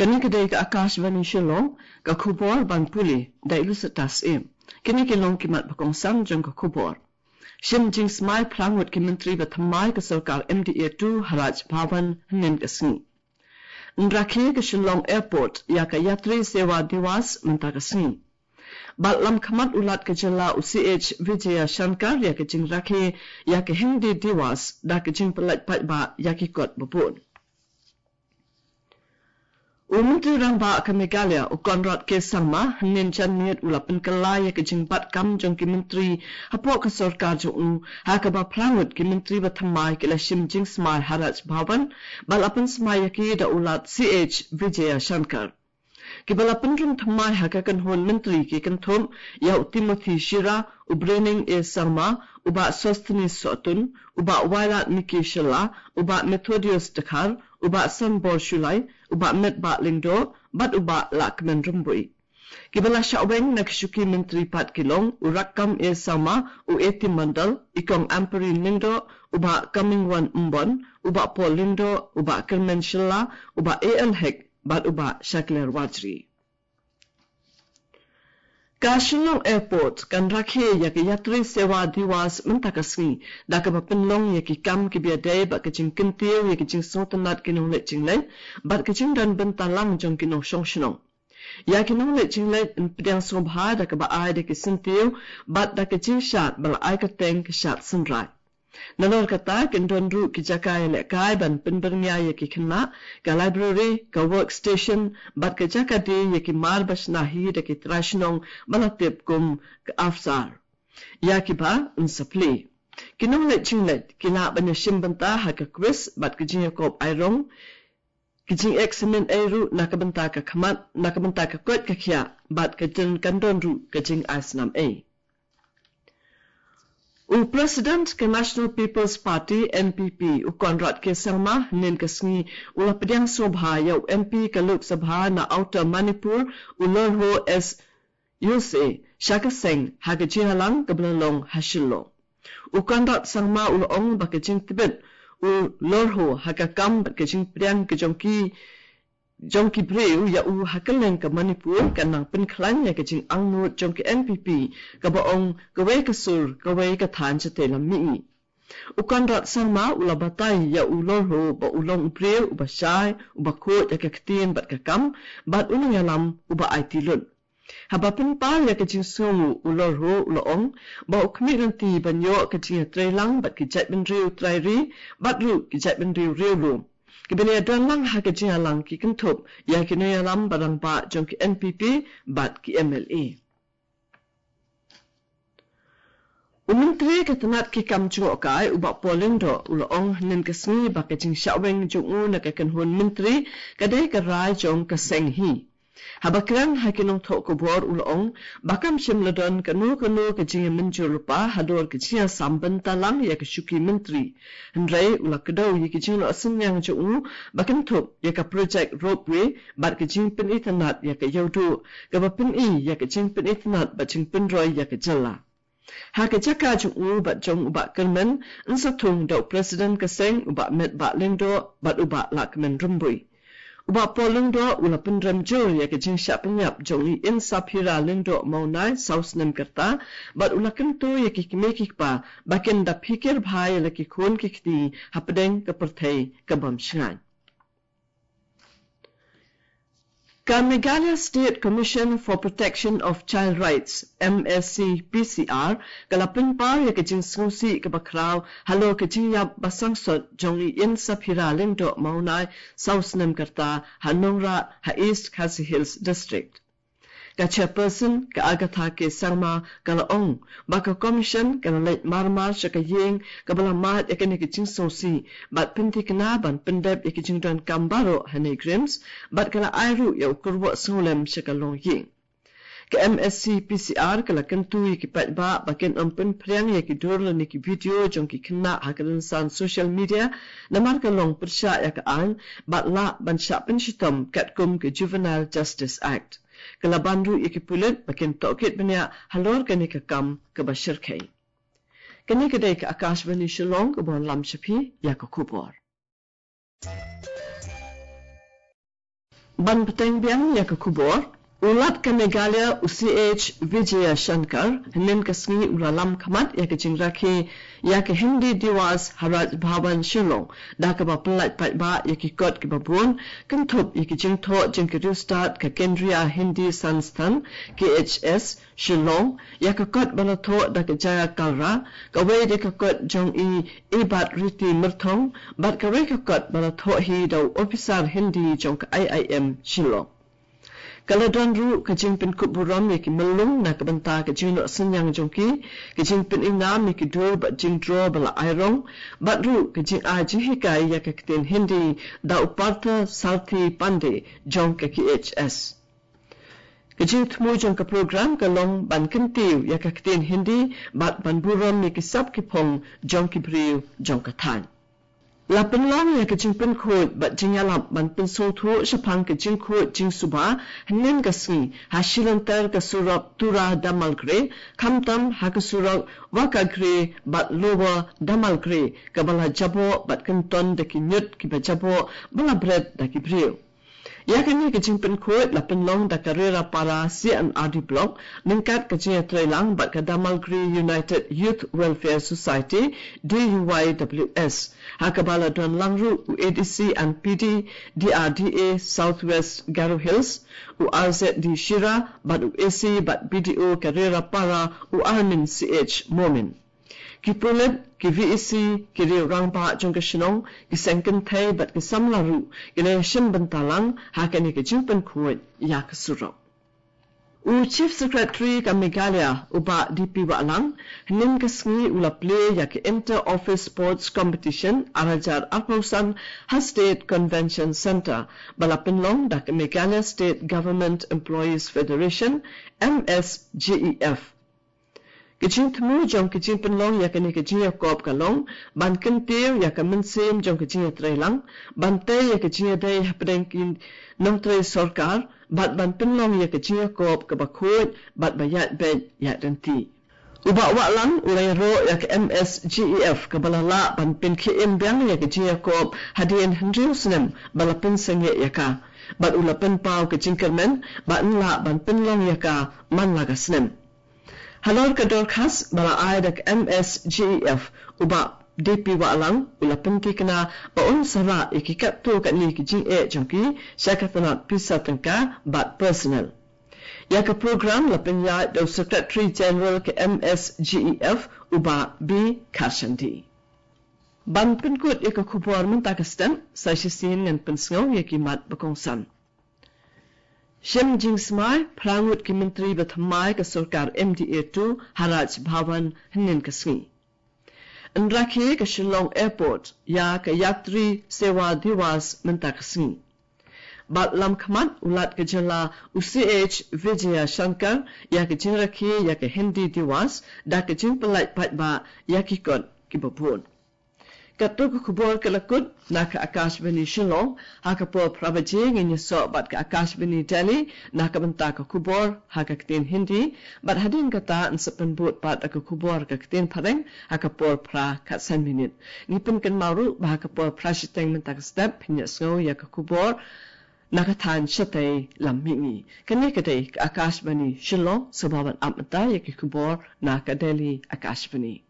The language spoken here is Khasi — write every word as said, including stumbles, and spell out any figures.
Kane ka dei ka Akashvani Shillong, ka khubor ban pule da i Lusitas Im. Kine ki long ki mat ba kongsan jong ka khubor. Shim jingsmai phra ngut ki myntri ba thymmai ka sorkar M D A two ha Raj Bhavan hynnin ka sngi. Yn rakhe ka Shillong Airport ïa ka Yatri Sewa Diwas mynta ka sngi. Bad lam khmat u Lat ka jylla u C H Vijayashankar ïa ka jingrakhe ïa ka Hindi Diwas da ka jingpyllait paidbah ïa ki kot ba bun. U Myntri Rangbah ka Meghalaya u Conrad K Sangma hynnin janmiet u la pynkylla ïa ka jingbat kam jong ki myntri hapoh ka sorkar jong u, ha kaba phra ngut ki myntri ba thymmai ki la shim jingsmai ha Raj Bhavan, ba la pynsmai ïa ki da u Lat C H Vijayashankar. Kiba la pynrung thymmai ha ka kynhun myntri ki kynthup ïa u Timothy Shira, u Brening A Sangma, u Bah Sosthenes Sohtun, u Bah Wailadmiki Shylla, u Bah Methodius Dkhar, u Bah Sanbor Shullai, u Bah Metbah Lyngdoh, bad u Bah Lahkmen Rymbui. Kiba la shah weng na ka shuki myntri pat ki long u Rakkam A Sangma, u A T Mondal, i Kong Ampareen Lyngdoh, u Bah Comingone Ymbon, u Bah Paul Lyngdoh, u Bah Kyrmen Shylla, u Bah A L Hek, bad u Bah Shakliar Warjri. Ka Shillong Airport kan rakhe ïa ka Yatri Sewa Diwas mynta ka sngi, da kaba pynlong ïa ki kam kiba ïadei bad ka jingkyntiew ïa ka jingsngewtynnat ki nongleit jingleit bad ka jingdon bynta lang jong ki nongshong shnong. Ïa ki nongleit jingleit yn pdiang sngewbha da kaba ai da ki syntiew bad da ka jingshad ba la ai kyrteng ka shad synrai. Nalor kata, kin don ruh ki jaka ïalehkai ban pynbyrngia ïa ki khynnah, ka library, ka workstation, bad ka jaka die ïa ki mar ba shna hi da ki trai shnong ba la tip kum ka AFSAR. Ïa kiba yn sa plie. Ki nongleit jingleit ki lah ban ïashim bynta ha ka quiz bad ka jingïakop airong, ki jingeksamin ei ruh na ka bynta ka khmat, na ka bynta ka koit ka khiah, bad ka jin kan don ruh ka jingai snam ei. U President ka National People's Party, N P P, u Conrad K Sangma, hynnin ka sngi u la pdiang sngewbha ïa u M P ka Lok Sabha na Outer Manipur, u Lorho S Yose, sha ka seng ha ka jingïalang kaba la long ha Shillong. U Conrad Sangma u la ong ba ka jingtbit u Lorho ha ka kam bad ka jingpdiang ka jong ki jong ki briew ïa u ha kylleng ka Manipur kan nang pynkhlaiñ ïa ka jingangnud jong ka N P P, kaba ong kawei ka sur, kawei ka thaiñ shatei lam mihngi. U Conrad Sangma u la batai ïa u Lorho ba u long u briew uba shai, uba khuid ïa ka ktien bad ka kam, bad u nongïalam uba aiti lut. Haba pynpaw ïa ka jingsngewnguh u Lorho u la ong ba u khmih lynti ban ïoh ka jingïatreilang bad ki jaitbynriew trai ri bad ruh ki jaitbynriew riewlum. Kiba la ïadon lang ha ka jingïalang ki kynthup ïa ki nongïalam ba rangbah jong ki N P P bad ki M L A. U Myntri ka tnat ki kam jngohkai u Bah Paul Lyngdoh u la ong hynnin ka sngi ba ka jingshah weng jong u na ka kynhun myntri ka dei ka rai jong ka seng hi. Haba kren ha ki nongthoh khubor u la ong ba kam shym la don kano kano ka jingïamynjur lypa halor ka jingïasam bynta lang ïa ka shuki myntri. Hynrei u la kdew ïa ki jingnoh synñiang jong u ba kynthup ïa ka project ropeway bad ka jingpynitynnad ïa ka Ïewduh, kaba pyni ïa ka jingpynitynnad bad jingpynroi ïa ka jylla. Ha ka jaka jong u bad jong u Bah Kyrmen, yn sa thung da u President ka seng u Bah Metbah Lyngdoh bad u Bah Lahkmen Rymbui. U Bah Paul Lyngdoh u la pynrem jur ïa ka jingshah pynïap jong i Insaphira Lyngdoh Mawnai saw snem ka rta, bad u la kyntu ïa ki kmie ki kpa ba kin da phikir bha ïa la ki khun ki kti hapdeng ka pyrthei ka bym shngaiñ. Ka Meghalaya State Commission for Protection of Child Rights, M S C P C R, ka la pynpaw ïa ka jingsngewsih kaba khraw halor ka jingïap ba sangsot jong i Insaphira Lyngdoh Mawnai saw snem ka rta ha Nongrah ha East Khasi Hills District. Ka Chairperson, ka Agatha K Sangma, ka la ong ba ka Commission ka la leit mar mar sha ka ïing kaba la mad ïa kane ka jingsngewsih bad pynthikna ban pyndep ïa ki jingdonkam baroh ha NEIGRIHMS, bad ka la ai ruh ïa u kyrwoh sngewlem sha ka longïing. Ka M S C P C R ka la kyntu ïa ki paidbah ba kin ym pynphriang ïa ki dur lane ki video jong ki khynnah ha ka rynsan social media, namar ka long pyrshah ïa ka aiñ bad lah ban shah pynshitom katkum ka Juvenile Justice Act. Ka la ban ruh ïa ki pulit ba kin tohkit bniah halor kane ka kam kaba shyrkhei. Kane ka dei ka Akashvani Shillong kaba wanlam sha phi ïa ka khubor. Ban bteng biang ïa ka khubor, u Lat ka Meghalaya u C H Vijayashankar hynnin ka sngi u la lam khmat ïa ka jingrakhe ïa ka Hindi Diwas ha Raj Bhavan Shillong, da kaba pyllait paidbah ïa ki kot kiba bun, kynthup ïa ki jingthoh jong ka riewstad ka Kendriya Hindi Sansthan, K H S, Shillong, ïa ka kot ba la thoh da ka Jaya Kalra, kawei de ka kot jong i Ibatriti Myrthong, bad kawei ka kot ba la thoh hi da u ophisar Hindi jong ka I I M Shillong. Ka la don ruh ka jingpynkup burom ïa ki myllung na ka bynta ka jingnoh synñiang jong ki, ka jingpynïngam ïa ki dur bad jingdro ba la airong, bad ruh ka jingai jinghikai ïa ka ktien Hindi da u Partha Sarthi Pandey jong ka K H S. Ka jingthmu jong ka program ka long ban kyntiew ïa ka ktien Hindi bad ban burom ïa ki sap ki phong jong ki briew jong ka thaiñ. La pynlong ïa ka jingpynkhuid bad jingïalap ban pynsngewthuh shaphang ka jingkhuid jingsuba hynnin ka sngi ha shilynter ka surok Tura Damalgre, khamtam ha ka surok Wakagre bad Lower Damalgre, kaba la jaboh bad kynton da ki ñiut kiba jaboh ba la bret da ki briew. Ïa kane ka jingpynkhuid la pynlong da ka Rerapara C and R D Block, ryngkat ka jingïatreilang bad ka Damalgre United Youth Welfare Society, D U Y W S. Ha kaba la don lang ruh u A D C and P D, D R D A South West Garo Hills, u R Z D Shira, bad u A C bad B D O ka Rerapara u Armin C H Momin. Ki pulit, ki V E C, ki riew rangbah jong ka shnong, ki seng kynthei bad ki samla ruh, ki la shim bynta lang ha kane ka jingpynkhuid ïa ka surok. U Chief Secretary ka Meghalaya, u Bah D P Wahlang, hynnin ka sngi u la plie ïa ka Inter Office Sports Competition ar hajar arphew san ha State Convention Centre, ba la pynlong da ka Meghalaya State Government Employees Federation, M S G E F. Ka jingthmu jong ka jingpynlong ïa kane ka jingïakop ka long ban kyntiew ïa ka mynsiem jong ka jingïatreilang, ban tei ïa ka jingïadei hapdeng ki nongtrei sorkar, bad ban pynlong ïa ka jingïakop kaba khuid bad ba ïaid beit ïaid ryntih. U Bah Wahlang u la ïaroh ïa ka M S G E F kaba la lah ban pynkhie im biang ïa ka jingïakop hadien hynriew snem ba la pynsangeh ïa ka, bad u la pynpaw ka jingkyrmen ba yn lah ban pynlong ïa ka man la ka snem. Halor ka dorkhas ba la ai da ka M S G E F, u Bah D P Wahlang u la pynthikna ba un sa rah ïa ki katto katne ki jingeh jong ki sha ka tnat pisa tyngka bad personal. Ïa ka program la pynïaid da u Secretary General ka M S G E F, u Bah B Kharshandi. Ban pynkut ïa ka khubor mynta ka step, sa shisien ngan pynsngew ïa ki mat ba kongsan. Shim jingsmai phra ngut ki myntri ba thymmai ka sorkar M D A two ha Raj Bhavan hynnin ka sngi. Yn rakhe ka Shillong Airport ïa ka Yatri Sewa Diwas mynta ka sngi. Bad lam khmat u Lat ka jylla u C H Vijayashankar ïa ka jingrakhe ïa ka Hindi Diwas da ka jingpyllait paidbah ïa ki kot kiba bun. Katto ka khubor ka la kut na ka Akashvani Shillong. Ha ka por phra baje ngin ïasoh bad ka Akashvani Delhi na ka bynta ka khubor ha ka ktien Hindi, bad hadien kata yn sa pynbud pat da ka khubor ka ktien Phareng ha ka por phra khatsan minit. Ngi pynkynmaw ruh ba ha ka por phra shiteng mynta ka step phin ïohsngew ïa ka khubor na ka thaiñ shatei lam mihngi. Kane ka dei ka Akashvani Shillong, sngewbha ban ap mynta ïa ki khubor na ka Delhi Akashvani.